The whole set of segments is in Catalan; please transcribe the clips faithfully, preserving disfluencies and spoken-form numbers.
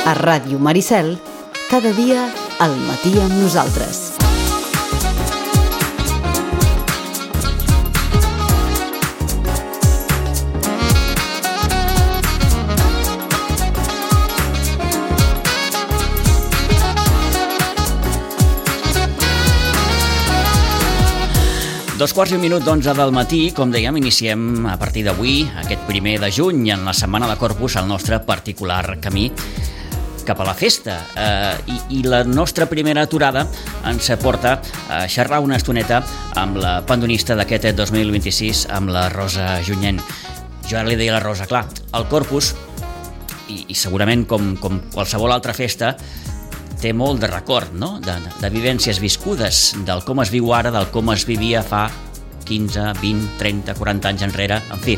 A Ràdio Maricel, cada dia al matí amb nosaltres. Dos quarts i un minut d'onze del matí, com dèiem, iniciem a partir d'avui, aquest primer de juny, en la Setmana de Corpus, el nostre particular camí cap a la festa. Eh, i, I la nostra primera aturada ens porta a xerrar una estoneta amb la pandonista d'aquest dos mil vint-i-sis, amb la Rosa Junyent. Jo ara li deia a la Rosa, clar, el Corpus, i, i segurament com, com qualsevol altra festa, té molt de record, no? de, de vivències viscudes, del com es viu ara, del com es vivia fa quinze, vint, trenta, quaranta anys enrere, en fi.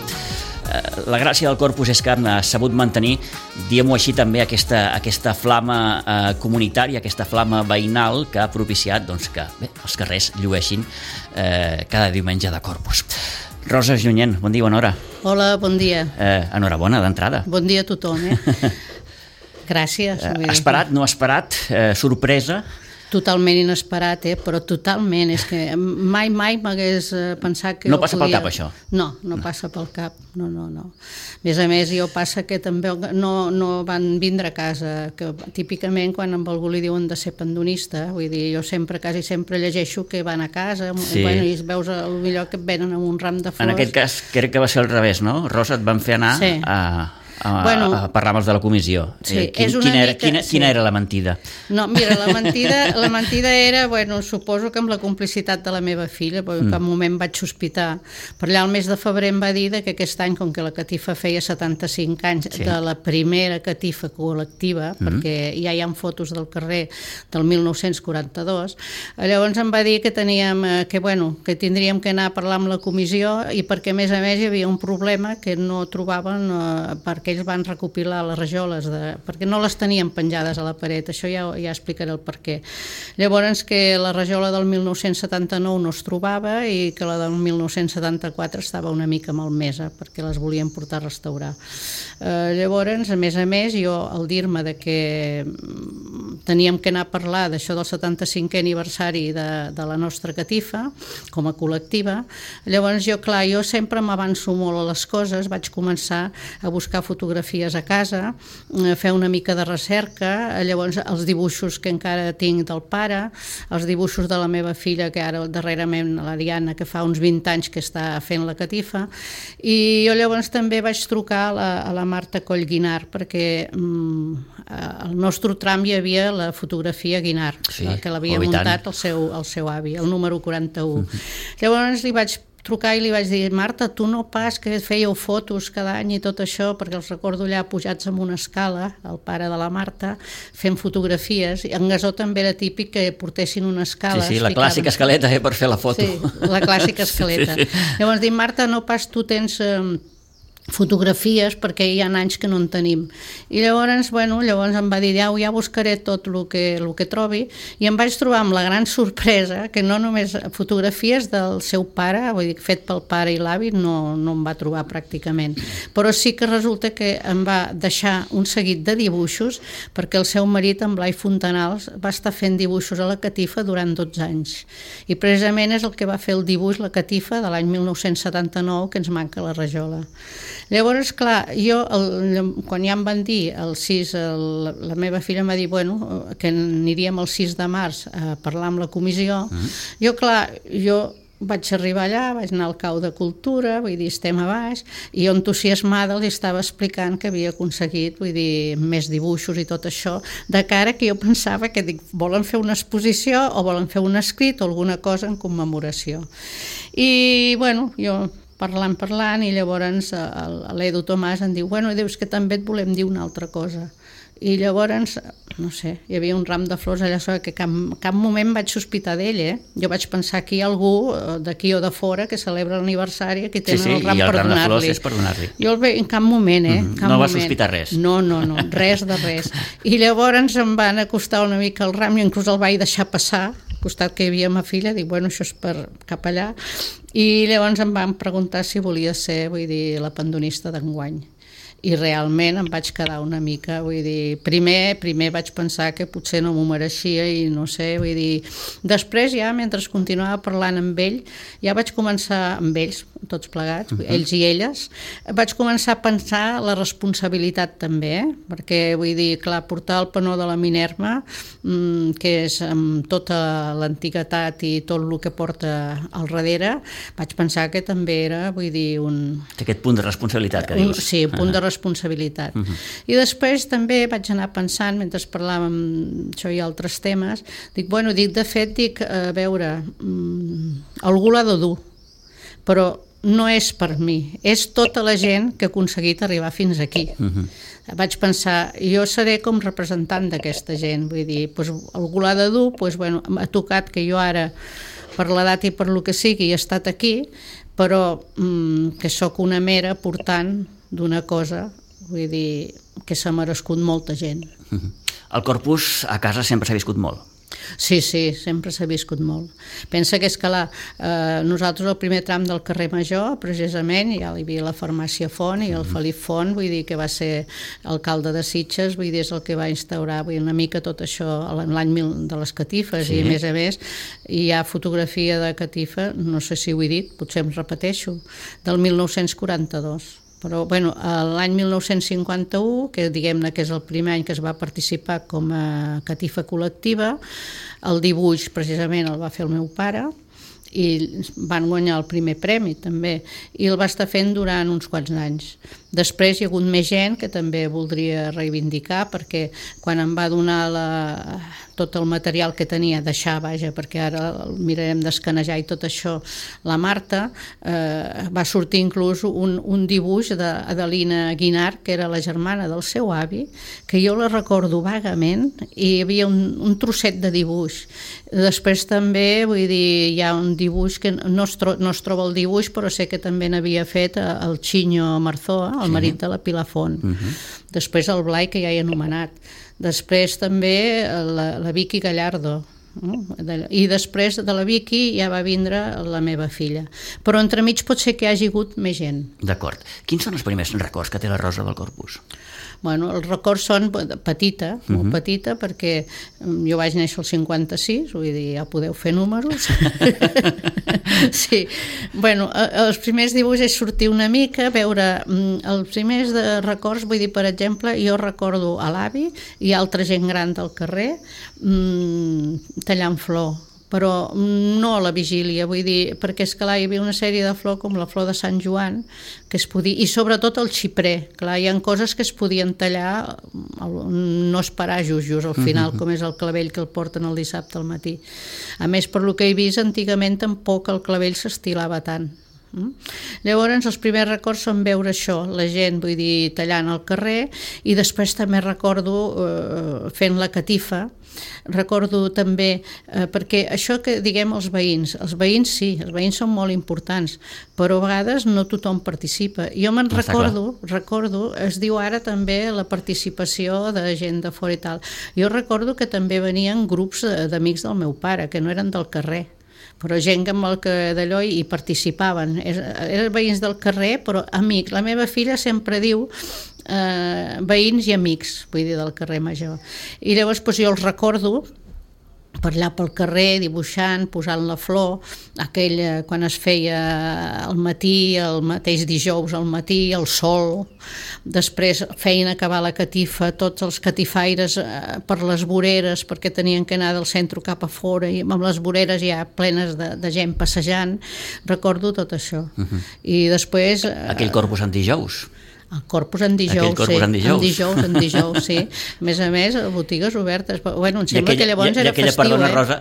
Eh, la gràcia del Corpus és que ha sabut mantenir, diguem-ho així també, aquesta, aquesta flama eh, comunitària, aquesta flama veïnal que ha propiciat doncs, que bé, els carrers llueixin eh, cada diumenge de Corpus. Rosa Junyent, bon dia, bona hora. Hola, bon dia. Eh, enhorabona d'entrada. Bon dia a tothom, eh? Gràcies. Eh, esperat, no esperat, eh, sorpresa? Totalment inesperat, eh? Però totalment. És que mai, mai m'hagués pensat que... No passa podia... pel cap, això? No, no, no passa pel cap. No, no, no. A més a més, jo passa que també no, no van vindre a casa, que típicament quan amb algú li diuen de ser pandonista, vull dir, jo sempre, quasi sempre llegeixo que van a casa, sí. Bueno, i veus potser que et venen amb un ram de flors. En aquest cas, crec que va ser al revés, no? Rosa, et van fer anar sí. a... A, bueno, a parlar amb els de la comissió. Sí, eh, quin, és una quina, era, mica, quina, sí. quina era la mentida? No, mira, la mentida, la mentida era, bueno, suposo que amb la complicitat de la meva filla, perquè mm. en cap moment vaig sospitar. Per allà el mes de febrer em va dir que aquest any, com que la catifa feia setanta-cinc anys, sí. de la primera catifa col·lectiva, mm. perquè ja hi ha fotos del carrer del mil nou-cents quaranta-dos, llavors em va dir que teníem, que bueno, que tindríem que anar a parlar amb la comissió i perquè a més a més hi havia un problema que no trobaven eh, perquè ells van recopilar les rajoles de, perquè no les tenien penjades a la paret, això ja, ja explicaré el per què. Llavors que la rajola del mil nou-cents setanta-nou no es trobava i que la del mil nou-cents setanta-quatre estava una mica malmesa perquè les volien portar a restaurar. Eh, llavors, a més a més, jo al dir-me de que teníem que anar a parlar d'això del setanta-cinquè aniversari de, de la nostra catifa com a col·lectiva, llavors jo, clar, jo sempre m'avanço molt a les coses, vaig començar a buscar fotografies a casa, fer una mica de recerca, llavors els dibuixos que encara tinc del pare, els dibuixos de la meva filla, que ara darrerament, la Diana, que fa uns vint anys que està fent la catifa, i jo llavors també vaig trucar a la, a la Marta Coll Guinart, perquè mm, al nostre tram hi havia la fotografia Guinart, sí, que l'havia muntat el seu, el seu avi, el número quaranta-u. Mm-hmm. Llavors li vaig trucar i li vaig dir, Marta, tu no pas que fèieu fotos cada any i tot això, perquè els recordo allà pujats amb una escala, el pare de la Marta, fent fotografies, i en Gasó també era típic que portessin una escala. Sí, sí, la clàssica escaleta eh, per fer la foto. Sí, la clàssica escaleta. Sí. Llavors dic, Marta, no pas tu tens... Eh, fotografies perquè hi ha anys que no en tenim i llavors, bueno, llavors em va dir ja, ja buscaré tot el que, el que trobi i em vaig trobar amb la gran sorpresa que no només fotografies del seu pare, vull dir, fet pel pare i l'avi no, no em va trobar pràcticament, però sí que resulta que em va deixar un seguit de dibuixos perquè el seu marit, en Blai Fontanals, va estar fent dibuixos a la catifa durant dotze anys i precisament és el que va fer el dibuix la catifa de l'any mil nou-cents setanta-nou que ens manca la rajola. Llavors, clar, jo, el, quan ja em van dir el sis, el, la meva filla em va dir, bueno, que aniríem el sis de març a parlar amb la comissió, uh-huh. jo, clar, jo vaig arribar allà, vaig anar al cau de cultura, vull dir, estem a baix, i jo entusiasmada els estava explicant que havia aconseguit, vull dir, més dibuixos i tot això, de cara que jo pensava que dic, volen fer una exposició o volen fer un escrit o alguna cosa en commemoració. I, bueno, jo... parlant, parlant, i llavors l'Edu Tomàs em diu, bueno, dius que també et volem dir una altra cosa. I llavors, no sé, hi havia un ram de flors allà sobre que cap, cap moment vaig sospitar d'ell, eh? Jo vaig pensar que hi ha algú d'aquí o de fora que celebra l'aniversari, que tenen sí, sí, el ram i el per ram de donar-li. flors és per donar-li. Jo el veig en cap moment, eh? Mm-hmm. Cap no va moment. sospitar res. No, no, no, res de res. I llavors em van acostar una mica el ram, i inclús el vaig deixar passar, al costat que hi havia ma filla, dic, bueno, això és per cap allà, i llavors em van preguntar si volia ser, vull dir, la pandonista d'enguany. i realment em vaig quedar una mica, vull dir, primer, primer vaig pensar que potser no m'ho mereixia i no sé, vull dir, després ja, mentre continuava parlant amb ell, ja vaig començar, amb ells, tots plegats, uh-huh. ells i elles, vaig començar a pensar la responsabilitat també, eh? Perquè, vull dir, clar, portar el panó de la Minerva, mmm, que és amb tota l'antiguitat i tot el que porta al darrere, vaig pensar que també era, vull dir, un... Aquest punt de responsabilitat que dius. Un, sí, un punt uh-huh. de responsabilitat. Uh-huh. I després també vaig anar pensant, mentre parlàvem això i altres temes, dic, bueno, dic, de fet, dic, a veure, mmm, algú l'ha de dur, però no és per mi, és tota la gent que ha aconseguit arribar fins aquí. Uh-huh. Vaig pensar, jo seré com representant d'aquesta gent, vull dir, doncs, algú l'ha de dur, doncs, bueno, m'ha tocat que jo ara, per l'edat i per lo que sigui, he estat aquí, però mmm, que sóc una mera portant d'una cosa, vull dir, que s'ha merescut molta gent. Uh-huh. El Corpus a casa sempre s'ha viscut molt. Sí, sí, sempre s'ha viscut molt. Pensa que és que la, eh, nosaltres el primer tram del carrer Major, precisament, ja hi havia la farmàcia Font i el Felip Font, vull dir que va ser alcalde de Sitges, vull dir, és el que va instaurar vull dir, una mica tot això l'any mil de les catifes, sí. I a més a més hi ha fotografia de catifa, no sé si ho he dit, potser em repeteixo, del mil nou-cents quaranta-dos. Però bueno, l'any mil nou-cents cinquanta-u, que diguem-ne que és el primer any que es va participar com a catifa col·lectiva, el dibuix precisament el va fer el meu pare i van guanyar el primer premi també, i el va estar fent durant uns quants anys. Després hi ha hagut més gent que també voldria reivindicar, perquè quan em va donar la, tot el material que tenia, deixar, vaja, perquè ara el mirarem d'escanejar i tot això, la Marta, eh, va sortir inclús un, un dibuix d'Adelina Guinart, que era la germana del seu avi, que jo la recordo vagament, i hi havia un, un trosset de dibuix. Després també, vull dir, hi ha un dibuix que no es, tro no es troba el dibuix, però sé que també n'havia fet el Xiño Marzoa, el marit de la Pilar Font. Uh-huh. Després el Blai, que ja he anomenat. Després també la, la Vicky Gallardo. No? I després de la Vicky ja va vindre la meva filla. Però entremig pot ser que hi hagi hagut més gent. D'acord. Quins són els primers records que té la Rosa del Corpus? Bueno, els records són petita, molt uh-huh. petita, perquè jo vaig néixer al cinquanta-sis, vull dir, ja podeu fer números. Sí, bueno, els primers dibuixos és sortir una mica, veure, els primers de records, vull dir, per exemple, jo recordo a l'avi i altra gent gran del carrer mmm, tallant flor, però no a la vigília, vull dir, perquè és que là hi havia una sèrie de flor com la flor de Sant Joan, que es podia, i sobretot el xiprer, clar, hi ha coses que es podien tallar, no esperar just, just al final, uh-huh. com és el clavell que el porten el dissabte al matí. A més, per lo que he vist, antigament tampoc el clavell s'estilava tant. Mm? Llavors els primers records són veure això, la gent, vull dir, tallant al carrer, i després també recordo eh, fent la catifa. Recordo també, eh, perquè això que diguem els veïns, els veïns sí, els veïns són molt importants, però a vegades no tothom participa. Jo me'n recordo, recordo, es diu ara també la participació de gent de fora i tal. Jo recordo que també venien grups d'amics del meu pare, que no eren del carrer, però gent amb el que d'allò hi participaven. Eren veïns del carrer, però amics. La meva filla sempre diu eh, veïns i amics, vull dir, del carrer Major. I llavors doncs, jo els recordo per allà pel carrer, dibuixant, posant la flor, aquell, quan es feia al matí, el mateix dijous al matí, el sol, després feien acabar la catifa, tots els catifaires eh, per les voreres, perquè tenien que anar del centre cap a fora, i amb les voreres ja plenes de, de gent passejant, recordo tot això. Uh-huh. I després... Eh, aquell Corpus en dijous. El Corpus en dijous, corpus sí. En dijous. En dijous, en dijous, sí. A més a més, botigues obertes. Bueno, em sembla aquella, que llavors i, era i aquella, festiu, perdona, eh? Rosa,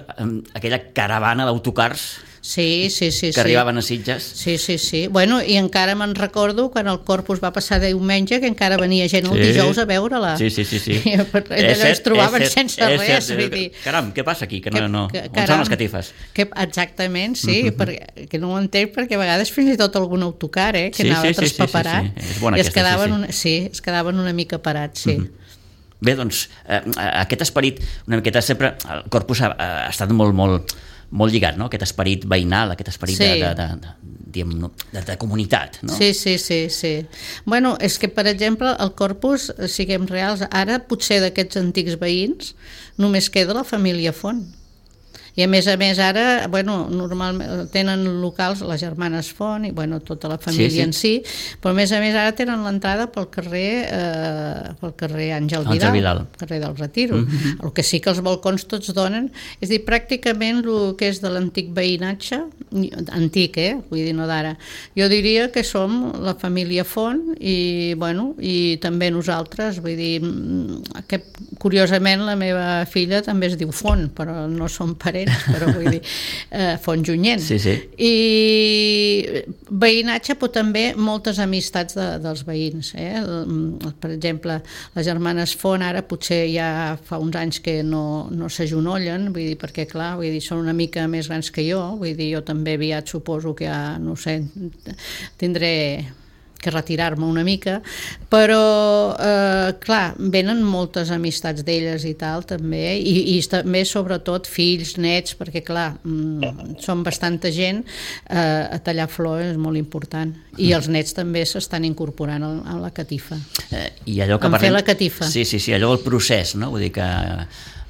aquella caravana d'autocars sí, sí, sí, que sí. arribaven a Sitges. Sí, sí, sí. Bueno, i encara me'n recordo quan el Corpus va passar de diumenge, que encara venia gent el sí. dijous a veure-la. Sí, sí, sí. sí. I allò es trobaven cert, sense res. Vull dir. Caram, què passa aquí? Que no, no. Que, caram, on són les catifes? Que, exactament, sí, uh-huh. perquè, que no ho entenc, perquè a vegades fins i tot algun autocar, eh, que sí, anava sí, traspaperat, sí, sí, sí, sí. I es quedaven, sí, sí. Una, sí, es quedaven una mica parats, sí. Uh-huh. Bé, doncs, eh, aquest esperit, una miqueta sempre, el Corpus ha, ha estat molt, molt, molt lligat, no? Aquest esperit veïnal, aquest esperit Sí. de, de, de, de, de, de comunitat, no? Sí, sí, sí, sí. Bueno, és que, per exemple, el Corpus, siguem reals, ara potser d'aquests antics veïns només queda la família Font. I a més a més ara, bueno, normalment tenen locals les germanes Font i bueno, tota la família sí, sí. en si, però a més a més ara tenen l'entrada pel carrer eh, pel carrer Àngel Vidal, Àngel Vidal. carrer del Retiro. Mm-hmm. El que sí que els balcons tots donen, és dir, pràcticament el que és de l'antic veïnatge, antic, eh? Vull dir, no d'ara. Jo diria que som la família Font i, bueno, i també nosaltres, vull dir, que curiosament la meva filla també es diu Font, però no som parents, però vull dir, eh, Font Junyent. Sí, sí. I veïnatge, però també moltes amistats de, dels veïns. Eh? Per exemple, les germanes Font ara potser ja fa uns anys que no, no s'agenollen, vull dir, perquè clar, vull dir, són una mica més grans que jo, vull dir, jo també aviat suposo que ja, no sé, tindré que retirar-me una mica, però eh, clar, venen moltes amistats d'elles i tal també, i, i també sobretot fills, nets, perquè clar, mm, són bastanta gent, eh, a tallar flors és molt important, i els nets també s'estan incorporant a, a la catifa, eh, i allò que en parlem... fer la catifa. Sí, sí, sí, allò el procés, no? Vull dir que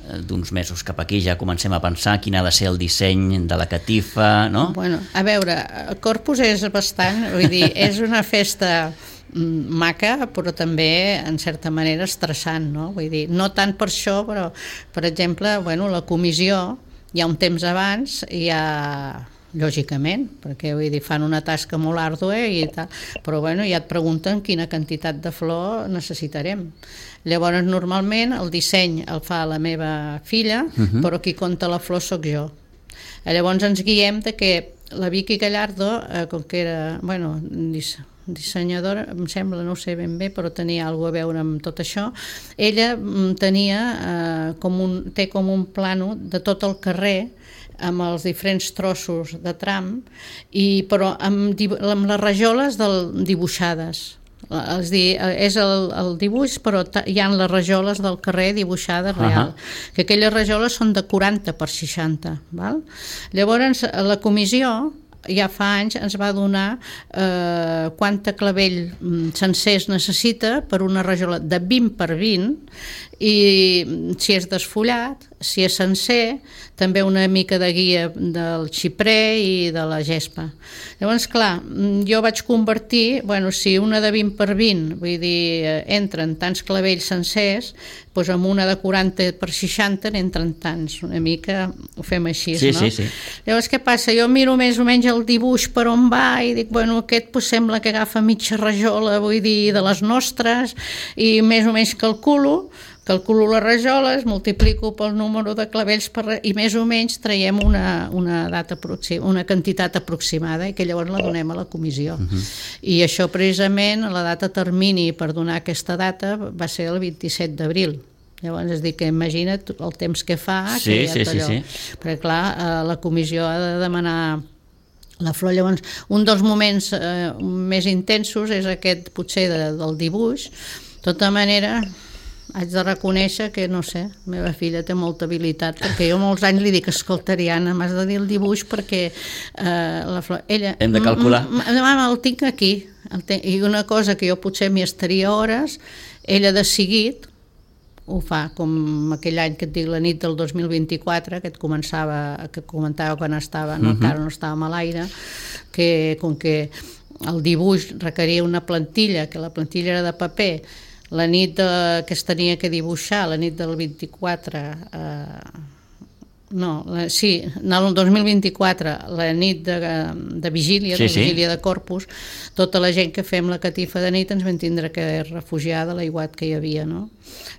d'uns mesos cap aquí ja comencem a pensar quin ha de ser el disseny de la catifa, no? Bueno, a veure, el Corpus és bastant, vull dir, és una festa maca, però també en certa manera estressant, no? Vull dir, no tant per això, però per exemple, bueno, la comissió hi ha un temps abans i hi ha lògicament, perquè vull dir, fan una tasca molt àrdua i tal, però bueno, ja et pregunten quina quantitat de flor necessitarem. Llavors, normalment, el disseny el fa la meva filla, uh-huh. però qui compta la flor sóc jo. Llavors ens guiem de que la Vicky Gallardo, eh, com que era, bueno, dissenyadora, em sembla, no ho sé ben bé, però tenia alguna a veure amb tot això, ella tenia eh, com un, té com un plano de tot el carrer amb els diferents trossos de tram, i, però amb, amb les rajoles del, dibuixades. És dir, és el, el dibuix, però hi ha les rajoles del carrer dibuixades real, uh-huh. que aquelles rajoles són de quaranta per seixanta, val? Llavors la comissió ja fa anys ens va donar eh, quanta clavell sencer es necessita per una rajola de vint per vint, i si és desfollat, si és sencer, també una mica de guia del xiprer i de la gespa. Llavors, clar, jo vaig convertir, bueno, si una de vint per vint, vull dir, entren tants clavells sencers, doncs amb una de quaranta per seixanta n'entren tants, una mica ho fem així, sí, no? Sí, sí. Llavors, què passa? Jo miro més o menys el dibuix per on va i dic, bueno, aquest pues, sembla que agafa mitja rajola, vull dir, de les nostres, i més o menys calculo, calculo les rajoles, multiplico pel número de clavells per, i més o menys traiem una, una, data aproxim, una quantitat aproximada i que llavors la donem a la comissió. Uh-huh. I això precisament, la data termini per donar aquesta data va ser el vint-i-set d'abril. Llavors, és dir, que imagina't el temps que fa, sí, que ja sí, allò. sí, sí. Perquè clar, la comissió ha de demanar la flor. Llavors, un dels moments eh, més intensos és aquest, potser, de, del dibuix. De tota manera, haig de reconèixer que, no sé, la meva filla té molta habilitat, perquè jo molts anys li dic, escolta, Ariana, m'has de dir el dibuix perquè eh, la flor... Ella, hem de calcular. Mama, el tinc aquí. El ten... I una cosa que jo potser m'hi estaria hores, ella de seguit ho fa, com aquell any que et dic, la nit del dos mil vint-i-quatre, que et començava, que comentava quan estava, no, uh-huh. encara no estàvem a l'aire, que com que el dibuix requeria una plantilla, que la plantilla era de paper, la nit de, que es tenia que dibuixar, la nit del vint-i-quatre, eh, no, la, sí, no, el dos mil vint-i-quatre, la nit de, de vigília, sí, de vigília sí. de Corpus, tota la gent que fem la catifa de nit ens vam tindre que refugiar de l'aiguat que hi havia, no?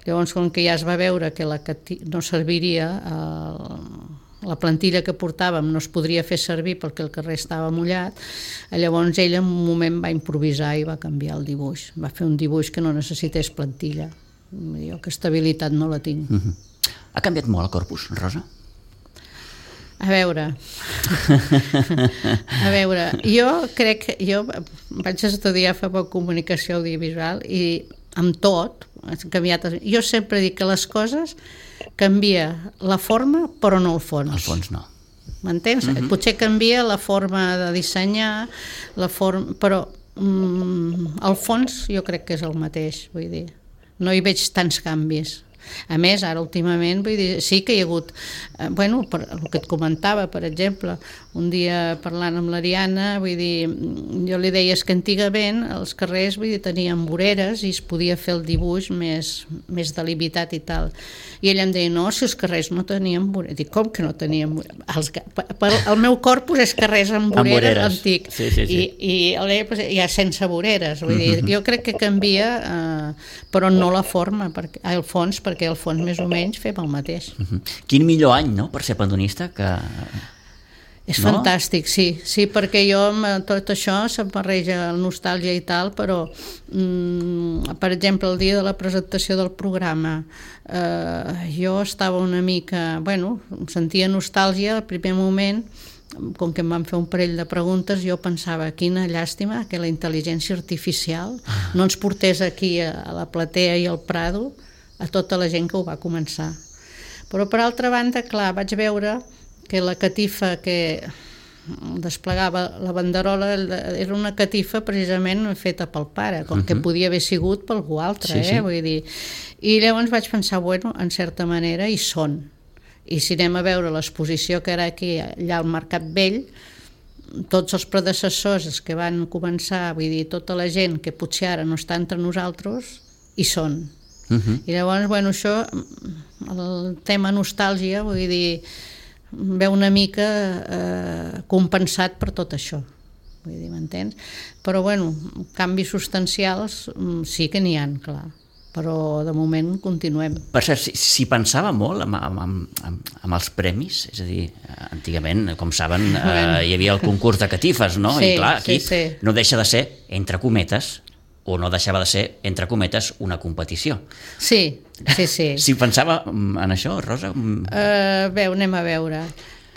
Llavors, com que ja es va veure que la catifa no serviria, eh, la plantilla que portàvem no es podria fer servir perquè el carrer estava mullat, llavors ella en un moment va improvisar i va canviar el dibuix, va fer un dibuix que no necessités plantilla. Jo aquesta habilitat no la tinc. Uh-huh. Ha canviat molt el Corpus, Rosa? A veure, a veure, jo crec que jo vaig estudiar fa poc comunicació audiovisual i amb tot, ha canviat. Jo sempre dic que les coses canvia la forma però no el fons. El fons no. m'entens? Uh-huh. Potser canvia la forma de dissenyar, la forma, però mm, al fons jo crec que és el mateix, vull dir, no hi veig tants canvis. A més, ara últimament, vull dir, sí que hi ha hagut, eh, bueno, per, el que et comentava, per exemple, un dia parlant amb l'Ariana, vull dir, jo li deia que antigament els carrers, vull dir, tenien voreres i es podia fer el dibuix més, més delimitat i tal. I ella em deia, no, si els carrers no tenien voreres. Dic, com que no tenien voreres? Els, per, el meu corpus és carrers amb voreres, amb voreres. Antic. Sí, sí, sí. I, i ella ja sense voreres. Vull dir, jo crec que canvia, eh, però no la forma, perquè, el fons, perquè al fons més o menys fem el mateix. Uh-huh. Quin millor any, no?, per ser pandonista que... És no? Fantàstic, sí, sí, perquè jo tot això se'm barreja el nostàlgia i tal, però mm, per exemple el dia de la presentació del programa eh, jo estava una mica, bueno, em sentia nostàlgia al primer moment, com que em van fer un parell de preguntes, jo pensava, quina llàstima que la intel·ligència artificial no ens portés aquí a, a la platea i al Prado a tota la gent que ho va començar. Però per altra banda, clar, vaig veure que la catifa que desplegava la banderola era una catifa precisament feta pel pare, com uh-huh. que podia haver sigut per algú altre, sí, eh? Sí. Vull dir. I llavors vaig pensar, bueno, en certa manera hi són. I si anem a veure l'exposició que era aquí, allà al Mercat Vell, tots els predecessors, els que van començar, vull dir, tota la gent que potser ara no està entre nosaltres, hi són. Uh-huh. I llavors, bueno, això, el tema nostàlgia, vull dir, ve una mica eh, compensat per tot això, vull dir, m'entens? Però, bueno, canvis substancials sí que n'hi ha, clar, però de moment continuem. Per cert, si, si pensava molt amb, amb, amb, amb els premis, és a dir, antigament, com saben, eh, hi havia el concurs de catifes, no? Sí, i clar, aquí sí, sí. no deixa de ser, entre cometes, o no deixava de ser, entre cometes, una competició. Sí, sí, sí. Si pensava en això, Rosa... Uh, bé, anem a veure.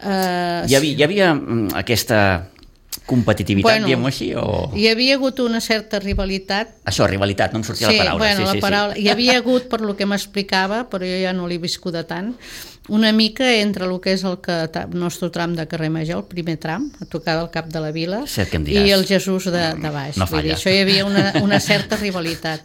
Uh, hi, havia, hi havia aquesta competitivitat, bueno, diguem-ho així? O... Hi havia hagut una certa rivalitat. Això, rivalitat, no em sortia sí, la paraula. Bueno, sí, la sí, paraula. Sí. Hi havia hagut, per lo que m'explicava, però jo ja no l'he viscut tant, una mica entre el que és el, que, el nostre tram de carrer Major, el primer tram, a tocar del cap de la vila, i el Jesús de, de baix. No falla. Vull dir, això hi havia una, una certa rivalitat.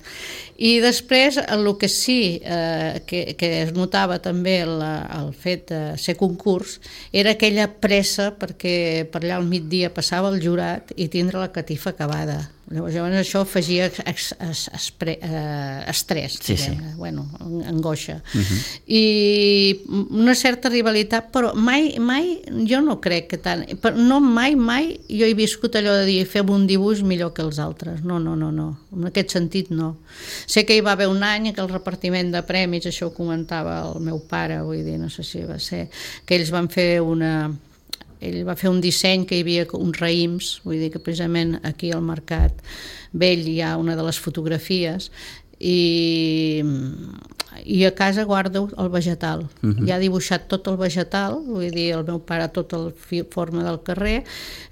I després, el que sí eh, que, que es notava també el, el fet de ser concurs era aquella pressa perquè per allà al migdia passava el jurat i tindre la catifa acabada. Llavors això afegia es, es, espre, eh, estrès, sí, sí. Bueno, angoixa. Uh-huh. I una certa rivalitat, però mai, mai, jo no crec que tant, no mai, mai jo he viscut allò de dir fem un dibuix millor que els altres, no, no, no, no, en aquest sentit no. Sé que hi va haver un any que el repartiment de premis, això ho comentava el meu pare, vull dir, no sé si va ser, que ells van fer una... Ell va fer un disseny que hi havia uns raïms, vull dir que precisament aquí al Mercat Vell hi ha una de les fotografies i, i a casa guardo el vegetal. Uh-huh. Ja ha dibuixat tot el vegetal, vull dir, el meu pare tota la forma del carrer,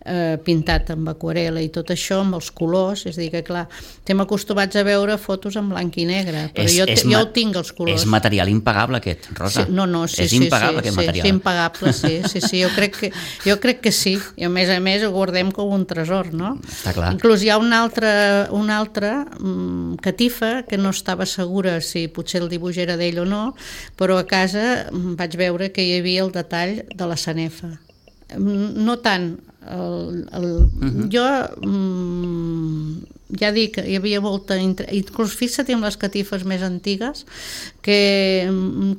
eh, pintat amb aquarela i tot això, amb els colors, és a dir que clar, estem acostumats a veure fotos en blanc i negre, però és, jo, és jo ho tinc els colors. És material impagable aquest, Rosa. Sí, no, no, sí, és sí, impagable sí, aquest sí, material. Sí, impagable, sí, sí, sí, jo crec que, jo crec que sí, i a més a més ho guardem com un tresor, no? Està clar. Inclús hi ha una altra, una altra um, catifa que no estava segura si potser el dibuix era d'ell o no, però a casa vaig veure que hi havia el detall de la sanefa. No tant el, el, uh-huh. jo mm, ja dic, hi havia molta inclús fixa't amb les catifes més antigues que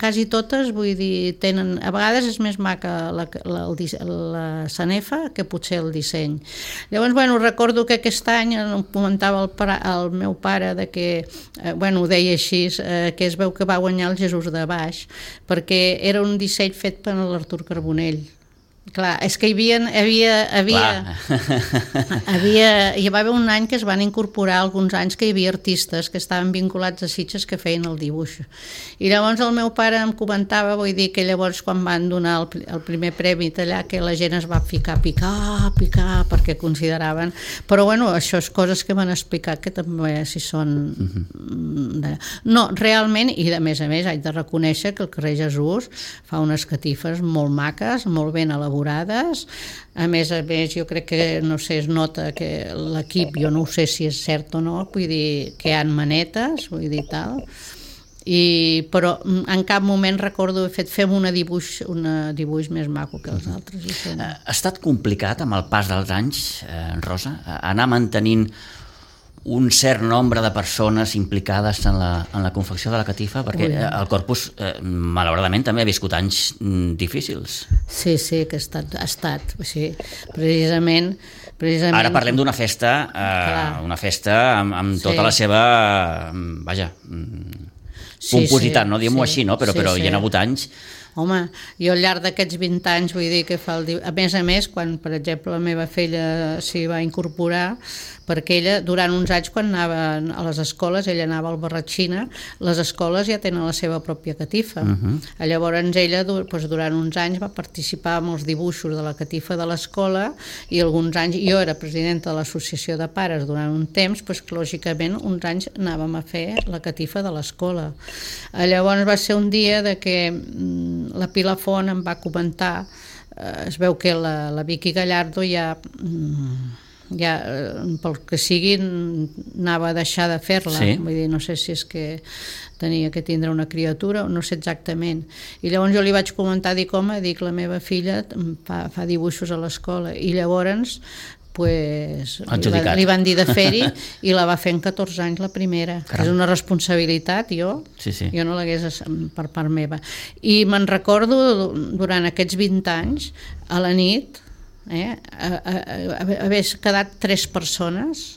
quasi totes, vull dir, tenen, a vegades és més maca la, la, la sanefa que potser el disseny. Llavors, bueno, recordo que aquest any em comentava el, para, el meu pare de que, eh, bueno, ho deia així, eh, que es veu que va guanyar el Jesús de baix perquè era un disseny fet per l'Artur Carbonell. Clar, és que hi havia, havia, havia, havia, hi va haver un any que es van incorporar alguns anys que hi havia artistes que estaven vinculats a Sitges que feien el dibuix. I llavors el meu pare em comentava, vull dir que llavors quan van donar el, el primer premi allà que la gent es va ficar a picar, a picar, perquè consideraven... Però bueno, això és coses que m'han explicat que també si són... Uh-huh. No, realment, i a més a més haig de reconèixer que el carrer Jesús fa unes catifes molt maques, molt ben elaborades, elaborades. A més a més, jo crec que, no sé, es nota que l'equip, jo no ho sé si és cert o no, vull dir que hi ha manetes, vull dir tal, i, però en cap moment recordo haver fet fem una dibuix, una dibuix més maco que els altres. I ha estat complicat amb el pas dels anys, eh, Rosa, anar mantenint un cert nombre de persones implicades en la, en la confecció de la catifa, perquè Ui. el Corpus, eh, malauradament, també ha viscut anys difícils. Sí, sí, que ha estat, ha estat sí, precisament, precisament... Ara parlem d'una festa, eh, una festa amb, amb tota sí. la seva, vaja, pompositat, sí, sí, no diguem-ho sí, així, no? però, sí, però sí. hi ha hagut anys. Home, jo al llarg d'aquests vint anys, vull dir que fa el... A més a més, quan, per exemple, la meva filla s'hi va incorporar, perquè ella, durant uns anys, quan anava a les escoles, ella anava al Barratxina, les escoles ja tenen la seva pròpia catifa. Uh-huh. Llavors, ella, doncs, durant uns anys, va participar en els dibuixos de la catifa de l'escola, i alguns anys, jo era presidenta de l'associació de pares durant un temps, doncs, lògicament, uns anys anàvem a fer la catifa de l'escola. Llavors, va ser un dia de que la Pilar Font em va comentar, eh, es veu que la, la Vicky Gallardo ja, ja pel que sigui anava a deixar de fer-la, sí. vull dir, no sé si és que tenia que tindre una criatura o no sé exactament, i llavors jo li vaig comentar, dic, home, dic, la meva filla fa, fa dibuixos a l'escola, i llavors pues, li, va, li van dir de fer-hi i la va fer en catorze anys la primera. Caram. És una responsabilitat, jo sí, sí. jo no l'hagués per part meva, i me'n recordo durant aquests vint anys a la nit eh, a, a, a, haver quedat tres persones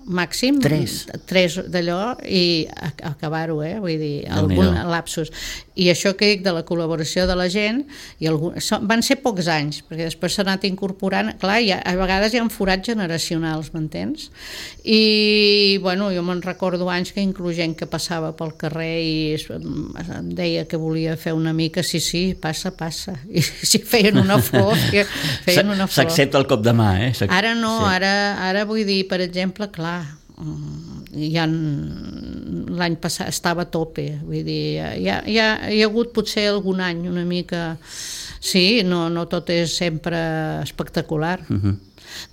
màxim, tres, tres d'allò i acabar-ho, eh? Vull dir, algun lapsus. I això que dic de la col·laboració de la gent, i algun... van ser pocs anys, perquè després s'ha anat incorporant, clar, ha, a vegades hi ha forats generacionals, m'entens? I, bueno, jo me'n recordo anys que inclús gent que passava pel carrer i em deia que volia fer una mica, sí, sí, passa, passa, i si feien una flor, feien una flor. S'accepta el cop de mà, eh? Ara no, sí. ara, ara vull dir, per exemple, clar, ja l'any passat estava a tope, vull dir, hi ha, hi ha, hi ha hagut potser algun any una mica, sí, no, no tot és sempre espectacular. Uh-huh.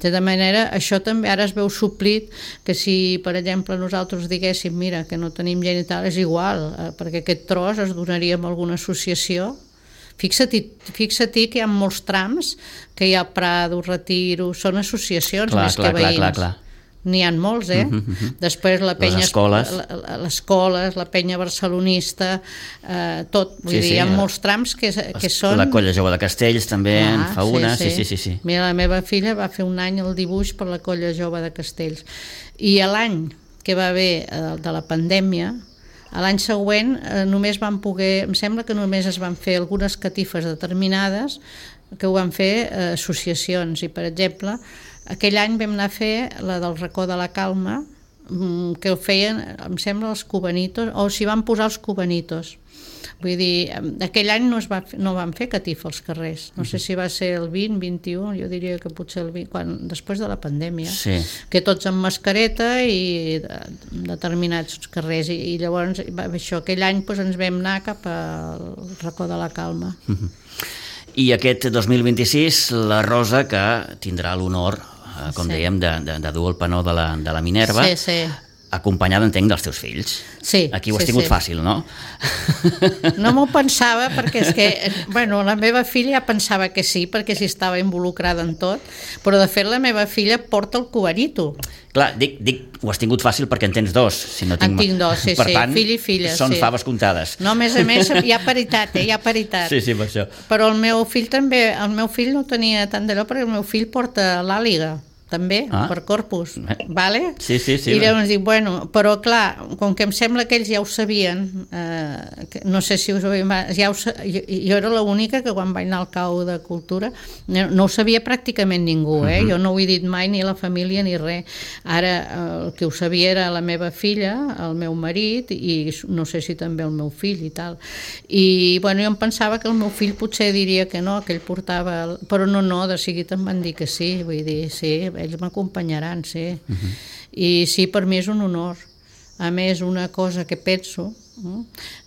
De tota manera, això també ara es veu suplit, que si, per exemple, nosaltres diguéssim, mira, que no tenim gent i tal, és igual, perquè aquest tros es donaria a alguna associació. Fixa-t'hi, fixa-t'hi que hi ha molts trams, que hi ha Prado, Retiro, són associacions clar, més clar, que veïns. Clar, clar, clar. N'hi ha molts, eh? Uh-huh, uh-huh. Després la penya... Les escoles. La, les escoles, la penya barcelonista, eh, tot. Vull sí, dir, sí, hi ha la, molts trams que, que són... La Colla Jove de Castells també ah, en fa una. Sí sí. sí, sí, sí. Mira, la meva filla va fer un any el dibuix per la Colla Jove de Castells. I l'any que va haver de la pandèmia, l'any següent eh, només van poder... Em sembla que només es van fer algunes catifes determinades que ho van fer eh, associacions. I, per exemple... Aquell any vam anar a fer la del racó de la Calma, que ho feien, em sembla, els cubanitos, o s'hi van posar els cubanitos. Vull dir, aquell any no, es va, no van fer catifa als carrers. No sé si va ser el vint, vint-i-u, jo diria que potser el vint, quan, després de la pandèmia. Sí. Que tots amb mascareta i de, determinats carrers. I, i llavors, això, aquell any doncs, ens vam anar cap al racó de la Calma. Uh-huh. I aquest dos mil vint-i-sis, la Rosa, que tindrà l'honor, eh, com sí. dèiem, de, de, de dur el penó de la, de la Minerva, sí, sí. acompanyada, entenc, dels teus fills. Sí. Aquí ho has sí, tingut sí. fàcil, no? No m'ho pensava, perquè és que, bueno, la meva filla ja pensava que sí, perquè s'hi estava involucrada en tot, però de fet la meva filla porta el cubanito. Clar, dic, dic, ho has tingut fàcil perquè en tens dos. Si no tinc... En tinc dos, sí, per sí, tant, fill i filla. Són sí. faves comptades. No, a més a més, hi ha paritat, eh? Hi ha paritat. Sí, sí, per això. Però el meu fill també, el meu fill no tenia tant d'allò, perquè el meu fill porta l'àliga, també, ah. per Corpus, vale? Sí, sí, sí. I llavors dic, bueno, però clar, com que em sembla que ells ja ho sabien, eh, que, no sé si us ho havia... Ja ho, jo, jo era l'única que quan vaig anar al cau de cultura no, no ho sabia pràcticament ningú, eh? Uh-huh. Jo no ho he dit mai, ni la família ni res. Ara el que ho sabia era la meva filla, el meu marit, i no sé si també el meu fill i tal. I bueno, jo em pensava que el meu fill potser diria que no, que ell portava... El... Però no, no, de seguida em van dir que sí, vull dir, sí, ells m'acompanyaran, sí. Uh-huh. I sí, per mi és un honor. A més, una cosa que penso,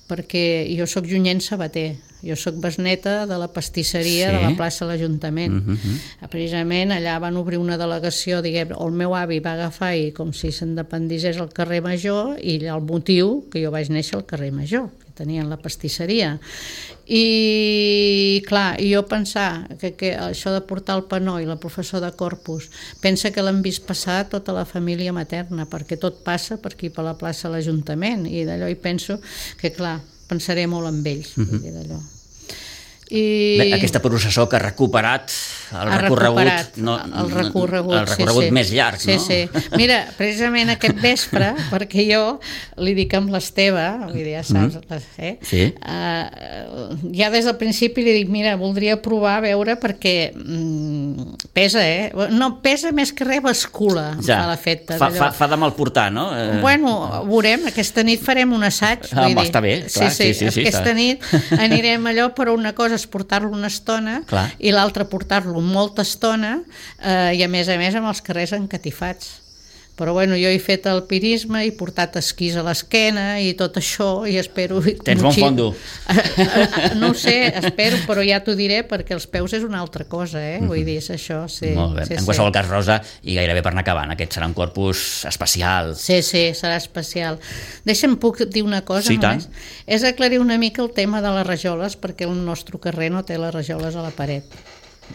perquè jo sóc Junyent Sabater, jo sóc besneta de la pastisseria Sí. de la plaça de l'Ajuntament. Uh -huh. Precisament allà van obrir una delegació, diguem, el meu avi va agafar i com si s'independissés al carrer Major, i el motiu que jo vaig néixer al carrer Major, que tenien la pastisseria. I clar, i jo pensar que, que això de portar el panó i la professor de Corpus, pensa que l'han vist passar tota la família materna, perquè tot passa per aquí, per la plaça de l'Ajuntament, i d'allò hi penso que clar, pensaré molt amb ells. Uh-huh. D'allò. I... Bé, aquesta processó que ha recuperat el ha recorregut, recuperat no, el recorregut, el recorregut sí, sí. més llarg, sí, no? Sí. Mira, precisament aquest vespre, perquè jo li dic amb l'Esteve, vull dir, ja saps, mm. eh? Sí. Uh, ja des del principi li dic, mira, voldria provar a veure perquè mm, pesa, eh? No, pesa més que res, bascula ja. a l'efecte. Fa, fa, fa de mal portar, no? Eh... Bueno, veurem, aquesta nit farem un assaig. Ah, vull dir. està bé, clar, sí, sí, sí, sí, aquesta està. nit anirem allò, però una cosa és portar-lo una estona clar. I l'altra portar-lo molta estona eh, i a més a més amb els carrers encatifats. Però bueno, jo he fet alpinisme, he portat esquís a l'esquena i tot això, i espero... Tens bon fondo. No ho sé, espero, però ja t'ho diré, perquè els peus és una altra cosa, eh? Vull dir, és això, sí. Molt bé. Sí, en sí. qualsevol cas, Rosa, i gairebé per anar acabant, aquest serà un corpus especial. Sí, sí, serà especial. Deixa'm, puc dir una cosa Sí, només? tant. És aclarir una mica el tema de les rajoles, perquè el nostre carrer no té les rajoles a la paret.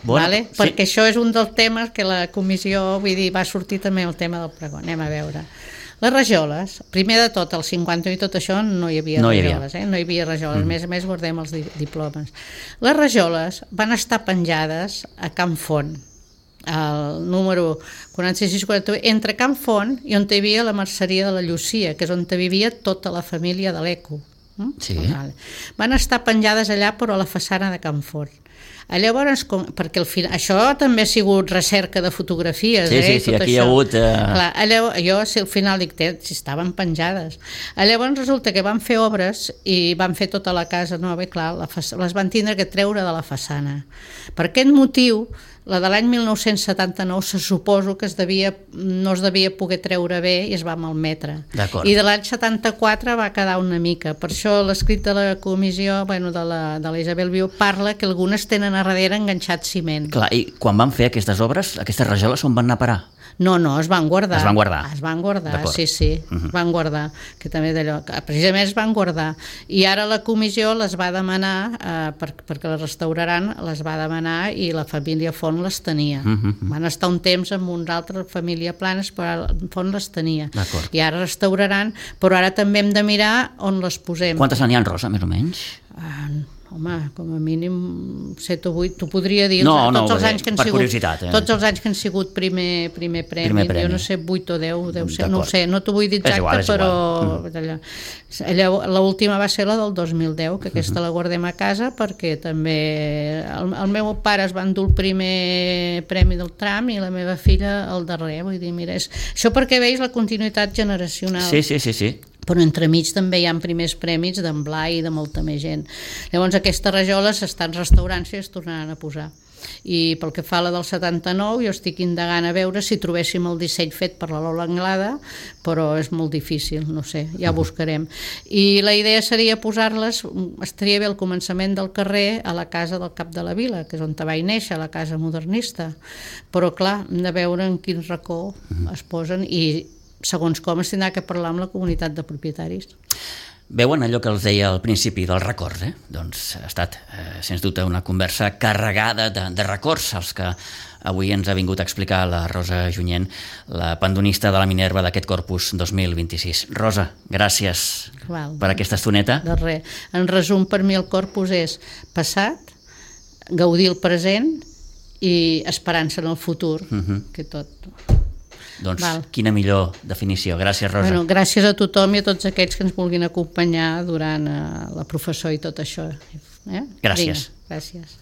Bueno, vale? sí. Perquè això és un dels temes que la comissió, vull dir, va sortir també el tema del pregó. Anem a veure. Les rajoles, primer de tot, al cinquanta i tot això no hi havia no rajoles, hi havia. eh? No hi havia rajoles, mm. més a més guardem els di diplomes. Les rajoles van estar penjades a Can Font, el número quaranta-sis quaranta-vuit, entre Can Font i on hi havia la merceria de la Llucia, que és on vivia tota la família de l'Eco. Mm? Sí. Vale. Van estar penjades allà, però a la façana de Can Font. Llavors, com, perquè al final, això també ha sigut recerca de fotografies, sí, eh? Sí, sí, tot aquí això. hi ha hagut... Uh... Clar, llavors, jo si al final dic, si estaven penjades. Llavors resulta que van fer obres i van fer tota la casa nova i clar, la les van tindre que treure de la façana. Per aquest motiu, la de l'any mil nou-cents setanta-nou se suposo que es devia, no es devia poder treure bé i es va malmetre. I de l'any setanta-quatre va quedar una mica. Per això l'escrit de la comissió, bueno, de la, de la Isabel Viu, parla que algunes tenen a darrere enganxat ciment. Clar, i quan van fer aquestes obres, aquestes rajoles on van anar a parar? No, no, es van guardar. Es van guardar. Es van guardar, sí, sí, uh-huh. es van guardar, que també d'allò, precisament es van guardar. I ara la comissió les va demanar, eh, per, perquè les restauraran, les va demanar i la família Font les tenia. Uh-huh. Van estar un temps amb una altra família Planes, però Font les tenia. I ara restauraran, però ara també hem de mirar on les posem. Quantes n'hi ha, Rosa, més o menys? Ah, home, com a mínim set o vuit, t'ho podria dir, no, tots, no, els anys que han per sigut, curiositat, eh? tots els anys que han sigut primer, primer, premi, primer premi, jo no sé, vuit o deu, deu ser, no ho sé, no t'ho vull dir exacte, igual, però mm. l'última va ser la del dos mil deu, que aquesta uh-huh. la guardem a casa perquè també el, el meu pare es va endur el primer premi del tram i la meva filla el darrer, vull dir, mira, és, això perquè veus la continuïtat generacional. Sí, sí, sí, sí. Però entremig també hi ha primers premis d'en Blai i de molta més gent. Llavors aquestes rajoles s'estan restaurant i es tornaran a posar. I pel que fa a la del setanta-nou, jo estic indagant a veure si trobéssim el disseny fet per la Lola Anglada, però és molt difícil, no sé, ja ho buscarem. I la idea seria posar-les, estaria bé al començament del carrer, a la casa del cap de la vila, que és on vaig néixer, la casa modernista. Però clar, hem de veure en quin racó es posen i segons com es tindrà que parlar amb la comunitat de propietaris. Veuen allò que els deia al principi del record, eh? Doncs ha estat, eh, sens dubte, una conversa carregada de, de records, els que avui ens ha vingut a explicar la Rosa Junyent, la pandonista de la Minerva d'aquest Corpus dos mil vint-i-sis. Rosa, gràcies Val, per aquesta estoneta. De res. En resum, per mi el Corpus és passat, gaudir el present i esperança en el futur, uh-huh. que tot... Doncs Val. Quina millor definició. Gràcies, Rosa. Bueno, gràcies a tothom i a tots aquells que ens vulguin acompanyar durant uh, la professó i tot això. Eh? Gràcies. Vinga, gràcies.